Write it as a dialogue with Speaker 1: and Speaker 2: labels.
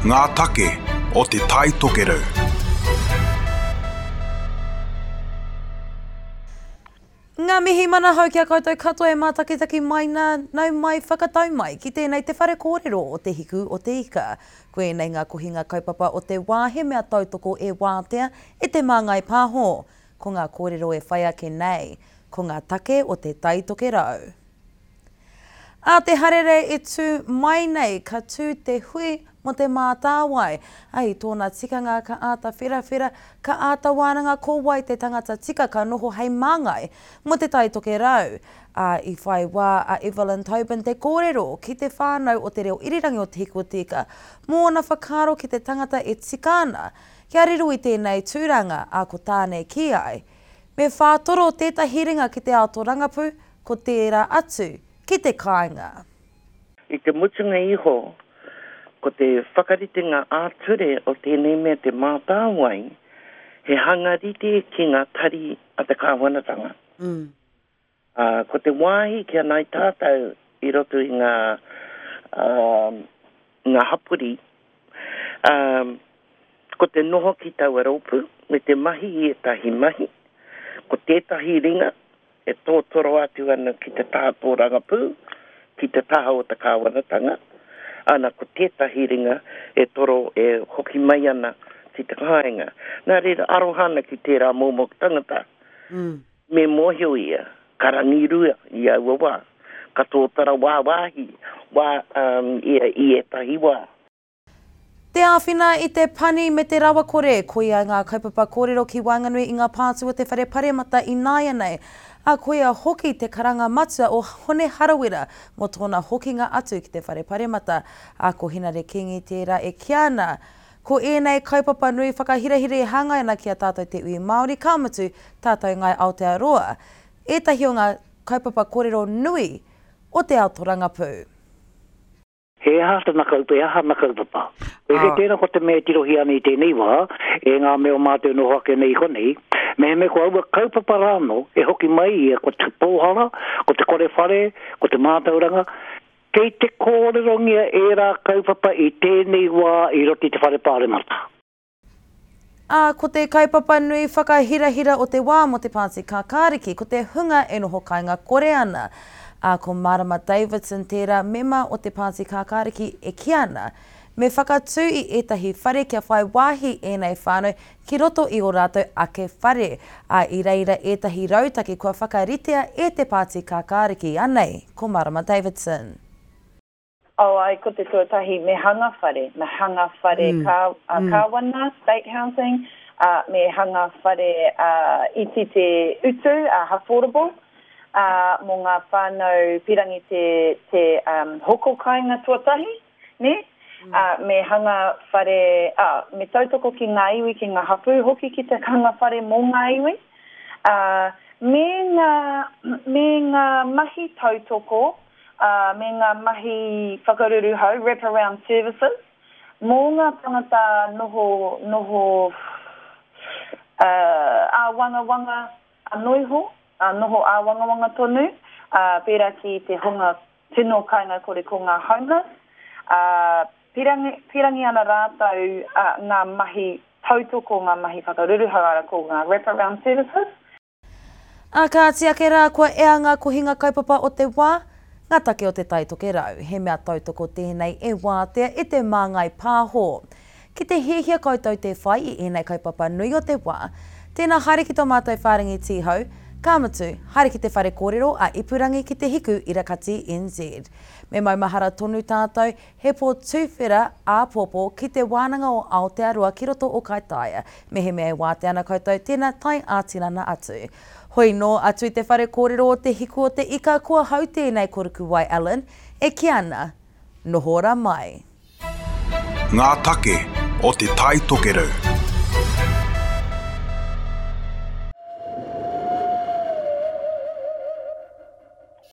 Speaker 1: Ngā take o Te Tai Tokerau.
Speaker 2: Ngā mihi manahau ki a koutou katoa e mātakitaki mai nā, nau mai, whakatau mai ki tēnei te whare kōrero o Te Hiku o Te Ika. Ko ēnei ngā kohinga kaupapa o te wā he mea tautoko e Wātea, e Te Māngai Pāho. Ko ngā kōrero e whai ake nei, ko ngā take o Te Tai Tokerau. Ā te harere e tū mai nei ka tū te hui mō Te Mātāwai, ā, i tōna tikanga ka āta wherawhera, ka āta wānanga ko wai te tangata tika ka noho hei māngai mō Te Tai Tokerau. Ā, i whai wā a Evelyn Tobin te kōrero ki te whānau o Te Reo Irirangi o Te Hiku o Te Ika mō ōna whakaaro ki te tangata e tika ana kia riro i tēnei tūranga, ā, ko tāne kī ai, Me whātoro tētahi ringa ki te ao tōrangapū, ko tērā atu ki te kāinga.
Speaker 3: I te mutunga iho, ko te whakaritenga ā-ture o tēnei mea Te Mātāwai, he hanga rite ki ngā tari a te kāwanatanga. Ā, ko te wāhi ki a ngāi tātou i roto i ngā, ā, ngā hapori, ā, ko te noho ki taua rōpū me te mahi i ētahi mahi, ko tētahi ringa e tōtoro atu ana ki te taha tōrangapū, ki te taha o te kāwanatanga, ana ko tētahi ringa e toro e hoki mai ana ki te kāinga. Nā reira, aroha ana ki tērā momo tangata. Me mōhio ia, ka rangirua i aua wā, ka tōtara wāwāhi wā um, ia i ētahi wā.
Speaker 2: Te āwhina i te pani me te rawakore, koia ngā kaupapa kōrero ki waenganui i ngā pātū o te Whare Paremata ināianei, ā, koia hoki te karanga matua o Hone Harawira mō tōna hokinga atu ki te Whare Paremata, ā, ko Henare Kingi tērā e kīa ana, ko ēnei kaupapa nui whakahirahira e hāngai ana ki a tātou te iwi Māori, ka mutu, tātou Ngāi Aotearoa, ētahi o ngā kaupapa kōrero nui o te ao torangapū.
Speaker 4: He aha tana kaupapa, he aha ana kaupapa. Koia kei tēnā ko te mea e tirohia ana i tēnei wā, e ngā mea o mātou e noho ake nei i konei, mehemea ko aua kaupapa rānō e hoki mai ia ko te pōhara, ko te kore whare, ko te mātauranga, kei te kōrerongia ērā kaupapa i tēnei wā i roto i te whare pāremata.
Speaker 2: Ā, ko te kaupapa nui whakahirahira o te wā mō te Pāti Kākāriki ko te hunga e noho kāinga kore ana. Ā, ko Marama Davidson tērā mema o te Pāti Kākāriki e kī ana, me whakatū i ētahi whare kia whai wāhi ēnei whānau ki roto i ō rātou ake whare, ā, i reira ētahi rautaki kua whakaritea e te Pāti Kākāriki. Anei ko Marama Davidson.
Speaker 5: Oh ae, ko te tuatahi, me hanga whare, me hanga whare kāwana, state housing, me hanga whare iti te utu, affordable, mō ngā whānau pirangi te hoko kāinga tuatahi, nē? Me hanga whare, me tautoko ki ngā iwi, ki ngā hapū hoki ki te hanga whare mō ngā iwi, me ngā, me ngā mahi tautoko ā, me ngā mahi whakaruruhau, wraparound services, mō ngā tangata noho, noho, ā, āwangawanga anō iho, ā, noho āwangawanga tonu, ā, pērā ki te hunga tino kāinga-kore ko ngā homeless, ā, pirangi, pirangi ana rātou, ā, ngā mahi tautoko, ngā mahi whakaruruhau, arā, ko ngā wraparound services.
Speaker 2: Ā kāti ake rā kua ea ngā kohinga kaupapa o te wā, ngā take o Te Tai Tokerau. He mea tautoko tēnei e wātea e Te Māngai Pāho. Ki te hiahia koutou te whai i ēnei kaupapa nui o te wā, tēnā haere ki tō mātou whārangi tīhau, ka mutu, haere ki te whare kōrero a Ipurangi ki Te Hiku Irakati NZ. Me maumahara tonu tātou, He pō tuwhera āpōpō ki Te Wānanga o Aotearoa ki roto o Kaitaia. Mehemea e wātea ana koutou, tēnā tae ā-tinana atu. Hoi nō atu i te whare kōrero o Te Hiku o te Ika ko ahau tēnei ko Rukuwai Allen e kī ana, Noho ora mai.
Speaker 1: Ngā take o Te Tai Tokerau.